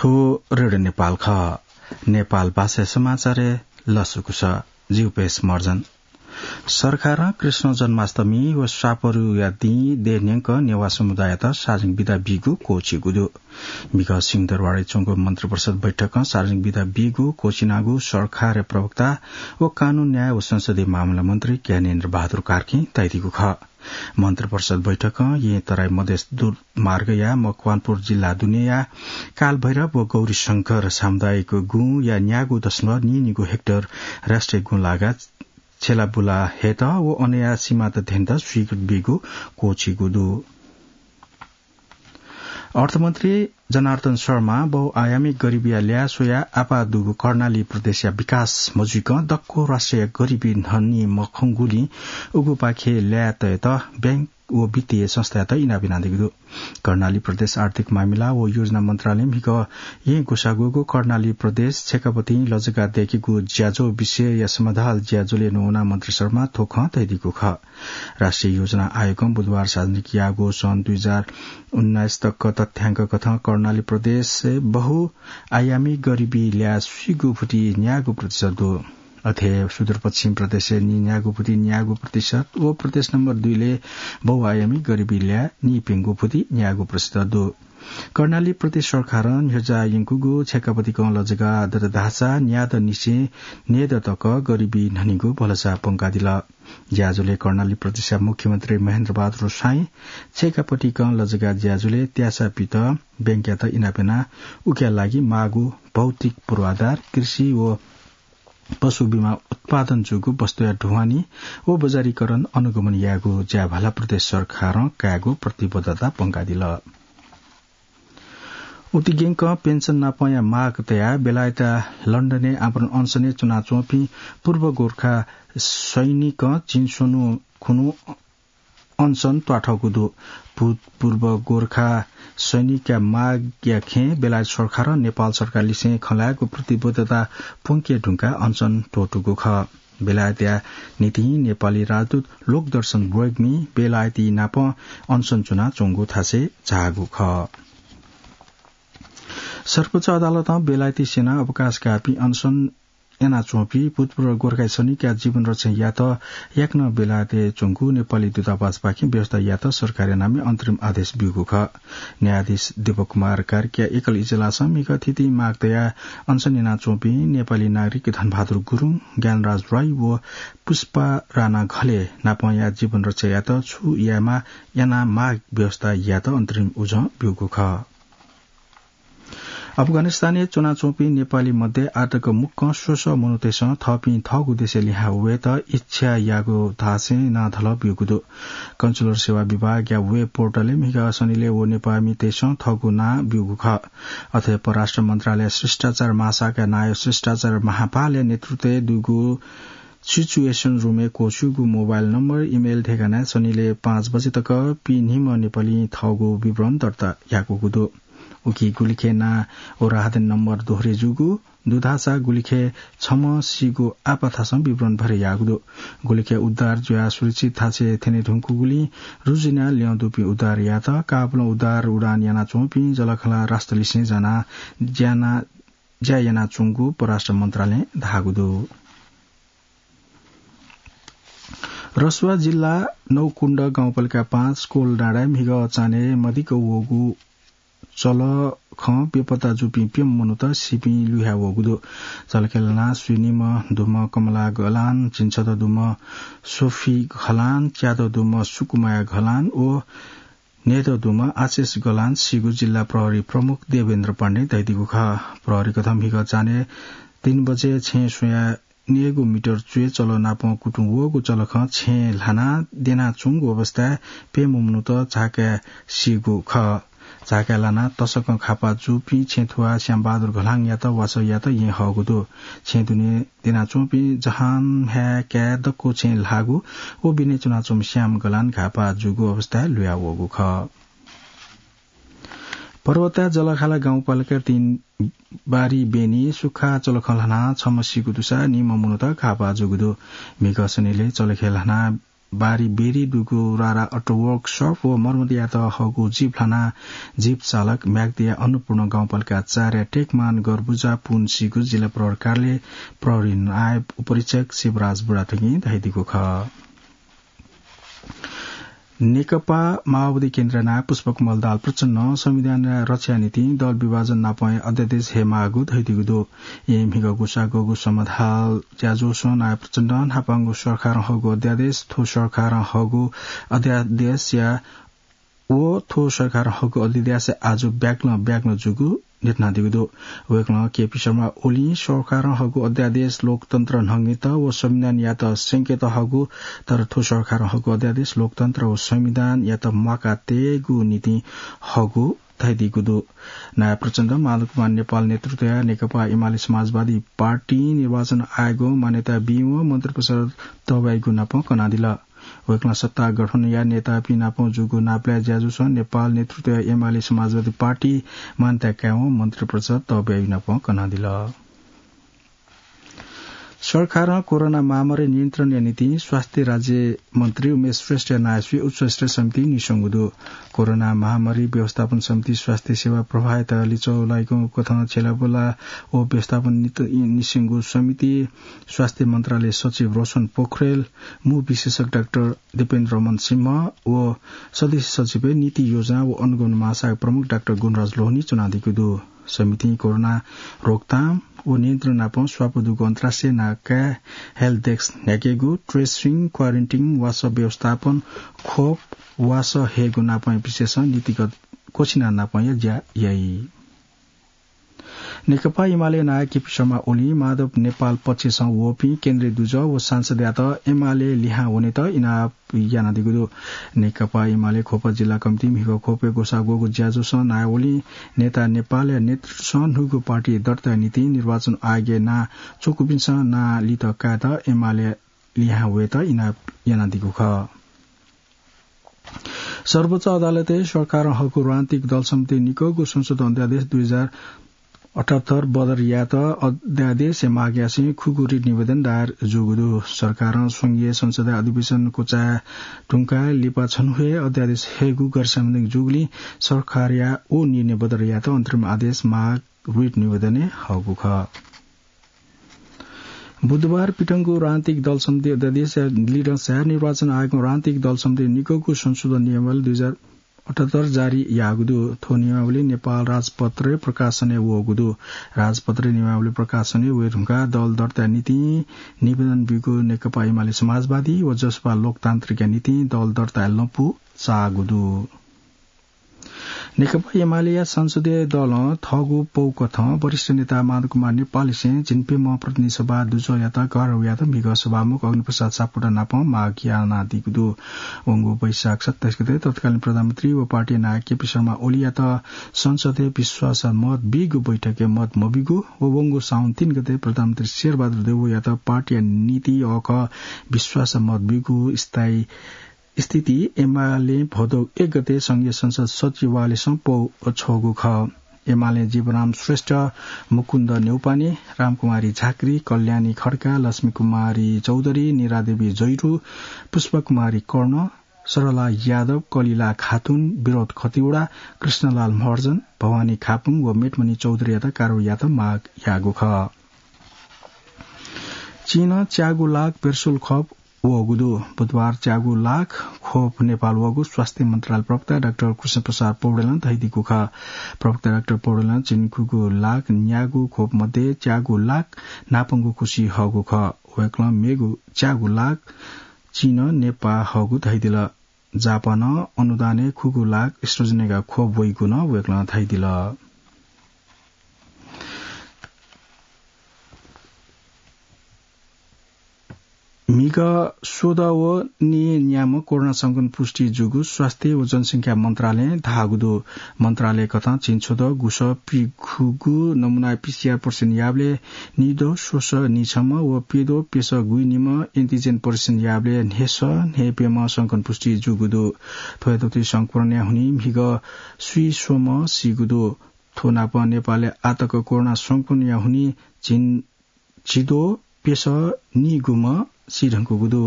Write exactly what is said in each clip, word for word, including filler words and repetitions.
थ्व रेडियो नेपाल खः। नेपाल भाषा समाचारय् लसकुस। जिउ पेश मर्जन। सरकारं कृष्ण जन्माष्टमी व स्वापरुया दिं देय् न्यंक नेवाः समुदाययात सार्वजनिक बिदा बीगु क्वःछिगु दु। मिगः सिंहदरबारय् च्वंगु मन्त्रिपरिषद बैठकं सार्वजनिक बिदा बीगु क्वःछिनागु सरकारया प्रवक्ता व कानून, न्याय व संसदीय मामला मन्त्री ज्ञानेन्द्र बहादुर कार्कीं धयादीगु खः। मन्त्रिपरिषद बैठकं येँ तराई मधेस दूरमार्गया मकवानपुर जिल्ला दुनेया कालभैरव व गौरीशंकर सामुदायिक गुँया न्यागू दशमलव नीनिगू हेक्टर राष्ट्रिय गुँलागा छेलाबुला हयेत व अनया सीमात ध्यनेत स्वीकृति बीगु क्वःछिगु दु। अर्थमन्त्री जनार्दन शर्मा बहुआयामी गरिबीया ल्याः स्वयाः आपाः दुगु कर्णाली प्रदेशया विकास मजुइकं दक्व राष्ट्रिय गरिबी न्हनी मखंगुलिं उगुपाखे ल्याः तयेत बैंक व वित्तीय संस्थायात इनाप यानादीगु दु। कर्णाली प्रदेश आर्थिक मामिला व योजना मन्त्रालयं म्हिगः येँ ग्वसाः ग्वःगु कर्णाली प्रदेश छेँकापतिं लजगाः दयेकेगु ज्याझ्वः विषयया समाधाल ज्याझ्वलय् न्ववानाः मन्त्री शर्मां थ्व खँ धयादीगु खः। राष्ट्रिय योजना आयोगं बुधबार सार्वजनिक याःगु सन् दुई हजार उन्नाइस तक तथ्याङ्क कथं कर्णाली प्रदेश बहुआयामी गरिबी ल्याः स्वीगू फुति न्यागू प्रतिशत दु। अथे सुदूरपश्चिम प्रदेशय् नीन्यागू फुति न्यागू प्रतिशत व प्रदेश नम्बर दुईलय् बहुआयामी गरिबी ल्याः नीप्यंगू फुति न्यागू प्रतिशत दु। कर्णाली प्रदेश सरकारं न्ह्यज्याः यंकूगु छेँकापतिकं लजगाः दत धाःसा न्यादँनिसें न्यदँ तक गरिबी न्हनीगु भलसा प्वंकादिल। ज्याझ्वलय् कर्णाली प्रदेशया मुख्यमन्त्री महेन्द्र बहादुर स्वाइँ छेँकापतिकं लजगाः ज्याझ्वलय् त्यासापित बैंकयात इनाप यानाः उकिया लागि माःगु भौतिक पूर्वाधार, कृषि व पशु बिमा उत्पादन जूगु वस्तुया ढुवानी व बजारीकरण अनुगमन यायेगु ज्याभाला प्रदेश सरकारं कायेगु प्रतिबद्धता प्वंकादिल। उतिग्यंकं पेन्सन नापंया माग तयाः बेलायतया लन्डनय् आमरण अनसनय् च्वनाच्वंपिं पूर्व गोर्खा सैनिकं झिंस्वन्हु खुन्हु अनसन त्वाःथःगु दु। भूतपूर्व गोर्खा सैनिकया मागया खँय् बेलायत सरकारं नेपाल सरकारलिसें खँ ल्हायेगु प्रतिबद्धता प्वंके धुंकाः अनसन त्वःतूगु खः। बेलायतया निंतिं नेपाली राजदूत लोकदर्शन बोयगमि बेलायती नाप अनसन च्वनाच्वंगु थासय् झाःगु खः। सर्वोच्च अदालतं बेलायती सेनां अवकाश काःपिं अनसन यानाच्वंपिं भूतपूर्व गोर्खा सैनिकया जीवन रक्षण यायेत याकनं बेलायतय् च्वंगु नेपाली दूतावासपाखें व्यवस्था यायेत सरकारया नामय् अन्तरिम आदेश ब्यूगु खः। न्यायाधीश दीपक कुमार कार्कीया एकल इजलासं म्हिगः थीथी माग तयाः अनसन यानाच्वंपिं नेपाली नागरिक धनबहादुर गुरुङ, ज्ञानराज राई व पुष्पा राणा घले नापंया जीवन रक्षा यायेत छु यायेमाः यानाः माग व्यवस्था यायेत अन्तरिम उजं ब्यूगु खः। अफगानिस्तानय् च्वनाच्वंपिं नेपाली मध्ये आःतक मुक्कं स्वस्वः मनूतय्सं थःपिं थःगु देशय् लिहां वयेत इच्छा याःगु धासें नाधल ब्यूगु दु। कन्सुलर सेवा विभागया वेब पोर्टलय् म्हिगः शनिलय् व नेपाःमितय्सं थःगु नां ब्यूगु खः। अथे परराष्ट्र मन्त्रालय शिष्टाचार महाशाखा नायः शिष्टाचार महापालया नेतृत्वय् दुगु सिचुएसन रुमय् क्वःछिउगु मोबाइल नम्बर, इमेल ठेगानाय् शनिलय् पाँच बजे तक पीन्हिम्ह नेपालीं थःगु विवरण दर्ता याकूगु दु। उकी गुलिखे नां व राहदानी नम्बर दोहरे जूगु दु धाःसा गुलिखे छम्ह सीगु आपाथासं विवरण भरे याःगु दु। गुलिखे उद्धार जुयाः सुरक्षित थासय् थ्यने धुंकूगुलिं रुजुनाः ल्यं दुपिं उद्धार यात। काबुलं उद्धार उडान यानाच्वंपिं जःलाखःला राष्ट्रलिसें जानाः ज्या यानाच्वंगु परराष्ट्र मन्त्रालयं धाःगु दु। रसुवा जिल्ला नौकुण्ड गाउँपालिका पाँच कोलडाँडाय् म्हिगः चान्हय् मदिक्क वःगु चलखं बेपत्ता जूपिं प्यम्ह मनूत सीपिं लुहाय् वःगु दु। चलखे ल्हानाः स्वीनिम्ह दुम्ह कमला घलान, झिंछदँ दुम्ह सोफी घलान, च्यादँ दुम्ह सुकुमाया घलान व न्यदँ दुम्ह आशिष घलान सीगु जिल्ला प्रहरी प्रमुख देवेन्द्र पाण्डें धयादीगु खः। प्रहरी कथं म्हिगः चान्हय् तीन बजे छेँ स्वयाः न्यय्गू मिटर च्वय् चलनापं कुतुं वःगु चलखं छेँ ल्हानाः द्यनाच्वंगु अवस्थाय् प्यम्ह मनूत झाकाय् सीगु खः। झाकाय् लानाः तसकं घाःपाः जूपिं छेँथुवाः श्यामबहादुर घलाङयात वासः यायेत येँ हःगु दु। छेँ दुने द्यनाच्वंपिं जहान, म्ह्याय्, काय् दक्व छेँ ल्हाःगु व बिनय् च्वनाच्वंम्ह श्याम घलान घाःपाः जूगु अवस्थाय् लुहाय् वःगु खः। पर्वतया जःलाखःला गाउँपालिका तीन बारी बेनी सुख्खा चलखं ल्हानाः छम्ह सीगु दुसा निम्ह मनूत घाःपाः जूगु दु। म्हिगः शनिलय् चलखे ल्हानाः बारी बेरी दुगु रारा अटो वर्कसप व मर्मत यात हगु जीप ल्हाना जीप चालक म्याग्दिया अन्नपूर्ण गाउँपालिका चारया टेकमान गर्बुजा पुन सीगु जिल्ला प्रहरी कार्यालय प्रहरी नायब उपरीक्षक शिवराज बुढाथुकी धयादीगु खः। नेकपा माओवादी केन्द्र नायः पुष्पकमल दाहाल प्रचण्डं संविधान रक्षा निंतिं दल विभाजन नापं अध्यादेश हयेमाःगु धयादीगु दु। येँ म्हिगः गुसागःगु समाधाल ज्याझ्वलय् नायः प्रचण्डं न्हापांगु सरकारं हःगु अध्यादेश, थ्व सरकारं हःगु अध्यादेशया व थ्व सरकारं हःगु अध्यादेश आजु ब्याक्लं ब्याक्लं जूगु न्ह्यथनादीगु दु। वय्कलं केपी शर्मा ओलीं सरकारं हःगु अध्यादेश लोकतन्त्र न्हंकेत व संविधानयात स्यंकेत हःगु, तर थ्व सरकारं हःगु अध्यादेश लोकतन्त्र व संविधानयात म्वाका तयेगु निंतिं हःगु धयादीगु दु। नायः प्रचण्डं माधव कुमार नेपाल नेतृत्वया नेकपा एमाले समाजवादी पार्टीं निर्वाचन आयोगं मान्यता बीवं मन्त्री परिषद तःब्याइगु नापं कनादिल। वय्कलं सत्ता गठनया नेतापिं नाप जूगु नापलाये ज्याझ्वलय् नेपाल नेतृत्वया एमाले समाजवादी पार्टी मान्यता कायेवं मन्त्री परिषद तःब्याइगु नापं कनादिल। सरकारं कोरोना महामारी नियन्त्रणया निंतिं स्वास्थ्य राज्य मन्त्री उमेश श्रेष्ठया नायःसुइ उच्चस्तरीय समिति निस्वंगु दु। कोरोना महामारी व्यवस्थापन समिति स्वास्थ्य सेवा प्रवाहयात लिच्वः लाइगु कथं छ्यलाबुला व व्यवस्थापन नित-, निस्वंगु समिति स्वास्थ्य मन्त्रालय सचिव रोशन पोखरेल, मू विशेषज्ञ डाक्टर दीपेन्द्र रमन सिंह व सदस्य सचिवय् नीति योजना व अनुगमन महाशाखा प्रमुख डाक्टर गुणराज लोहनी च्वनादीगु दु। समितिं कोरोना रोकथाम व नियन्त्रण नाप स्वापू दुगु अन्तर्राष्ट्रिय नाकाय् हेल्प डेस्क न्ह्याकेगु, ट्रेसिङ, क्वारेन्टिन, वासः व्यवस्थापन, खोप, वासः हयेगु नापया विषयसं नीतिगत घोषणा नापया ज्या याइ। नेकपा एमाले नायः केपी शर्मा ओलीं माधव नेपाल पक्षसं वःपिं केन्द्रीय दुजः व सांसदयात एमाले लिहां वनेत इनाप यानादीगु दु। नेकपा एमाले ख्वप जिल्ला कमिटी म्हिगः ख्वपय् ग्वसाः ग्वःगु ज्याझ्वलय् नायः ओलीं नेता नेपालया नेतृत्वसं न्हूगु पार्टी दर्ताया निंतिं निर्वाचन आयोगय् नां च्वकूपिन्सं नां लित कायेत एमाले लिहां वयेत इनाप यानादीगु खः। सर्वोच्च अदालतय् सरकारं हःगु राजनीतिक दल सम्बन्धी निकःगु संशोधन अध्यादेश दुई हजार अठहत्तर बदर यायेत अध्यादेशया माग यासें खुगू रिट निवेदन दायर जूगु दु। सरकारं संघीय संसदया अधिवेशन क्वचाये धुंकाः लिपा छन्हु हे अध्यादेश हयेगु गैरसंवैधानिक जूगुलिं सरकारया व निर्णय बदर यायेत अन्तरिम आदेश माग रिट निवेदनय् हःगु खः। बुधबार पिथंगु राजनीतिक दल सम्बन्धी अध्यादेशया लिधंसाय् निर्वाचन आयोगं राजनीतिक दल सम्बन्धी निकःगु संशोधन नियमावली दुई हजार अठहत्तर जारी याःगु दु। थ्व नियमावली नेपाल राजपत्रय् प्रकाशनय् वःगु दु। राजपत्रय् नियमावली प्रकाशनय् वये धुंकाः दल दर्ताया निंतिं निवेदन ब्यूगु नेकपा एमाले समाजवादी व जसपा लोकतान्त्रिकया निंतिं दल दर्ताया लँपु चाःगु दु। नेकपा एमालेया संसदीय दलं थःगु पौ कथं वरिष्ठ नेता माधव कुमार नेपाललिसें झिंप्यम्ह प्रतिनिधि सभा दुजःयात गाह्रो यायेत म्हिगः सभामुख अग्निप्रसाद सापकोटा नाप माग यानादीगु दु। वंगु वैशाख सत्ताइस गते तत्कालीन प्रधानमन्त्री व पार्टी नायः केपी शर्मा ओलीयात संसदय् विश्वास मत बीगु बैठकय् मत मबीगु व वंगु साउन तीन गते प्रधानमन्त्री शेरबहादुर देउवायात पार्टीया नीति अःखः विश्वास मत बीगु स्थायी स्थिति एमालें भदौ एक गते संघीय संसद सचिवालयसं पौ छ्वःगु खः। एमालें जीवनराम श्रेष्ठ, मुकुन्द न्यौपाने, रामकुमारी झाँक्री, कल्याणी खड्का, लक्ष्मीकुमारी चौधरी, निरादेवी जैतु, पुष्पकुमारी कर्ण, सरला यादव, कलिला खातुन, विनोद खतिवडा, कृष्णलाल महर्जन, भवानी खापुङ व मेटमणि चौधरीयात गाह्रो यायेत माग याःगु खः। चीनं च्यागू लाख पेट्रोल खोप वःगु दु। बुधबार च्यागू लाख खोप नेपाल वःगु स्वास्थ्य मन्त्रालय प्रवक्ता डाक्टर कृष्णप्रसाद पौडेलं धयादीगु खः। प्रवक्ता डाक्टर पौडेलं चीनं खुगू लाख न्यागू खोप मध्ये च्यागू लाख न्हापांगु खुसि हःगु खः। वय्कलं मेगु च्यागू लाख चीनं नेपाः हःगु धयादिल। जापानं अनुदानय् खुगू लाख AstraZeneca खोप वइगु नं वय्कलं धयादिल। म्हिगः स्वदँ व निन्याम्ह कोरोना संक्रमण पुष्टि जूगु स्वास्थ्य व जनसंख्या मन्त्रालयं धाःगु दु। मन्त्रालयकथं झिंछदँ गुसः पीखुगू नमुनाय् PCR परीक्षण याःबलय् निद्वः स्वसः निछम्ह व प्यद्वः प्यसः गुइनिम्ह antigen परीक्षण याःबलय् न्हय्सः न्हय्प्यम्ह संक्रमण पुष्टि जूगु दु। थ्वयात तुं संक्रमणया हुनिं म्हिगः स्वीस्वम्ह सीगु दु। थ्व नापं नेपालय् आःतक कोरोना संक्रमणया हुनिं झिं झिद्वः प्यसः निगूम्ह सीधुंकूगु दु।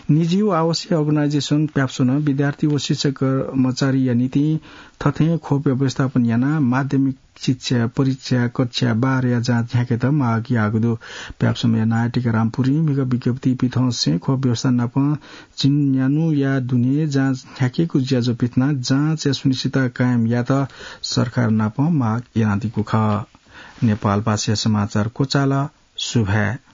निजी व आवासीय अर्गनाइजेसन प्याप्सुनं विद्यार्थी व शिक्षक कर्मचारीया निंतिं थथें खोप व्यवस्थापन यानाः माध्यमिक शिक्षा परीक्षा कक्षा बाह्रया जाँच न्ह्याकेत माग याःगु दु। प्याप्सुया नायः टीकाराम पुरीं म्हिगः विज्ञप्ति पिथंसें खोप व्यवस्था नाप चिन्यान्हुया दुने जाँच न्ह्याकेगु ज्याझ्वः पिथनाः जाँचया सुनिश्चितता कायम यायेत सरकार नाप माग यानादीगु खः। नेपाल भाषाया समाचार क्वचाल। सुभाय्।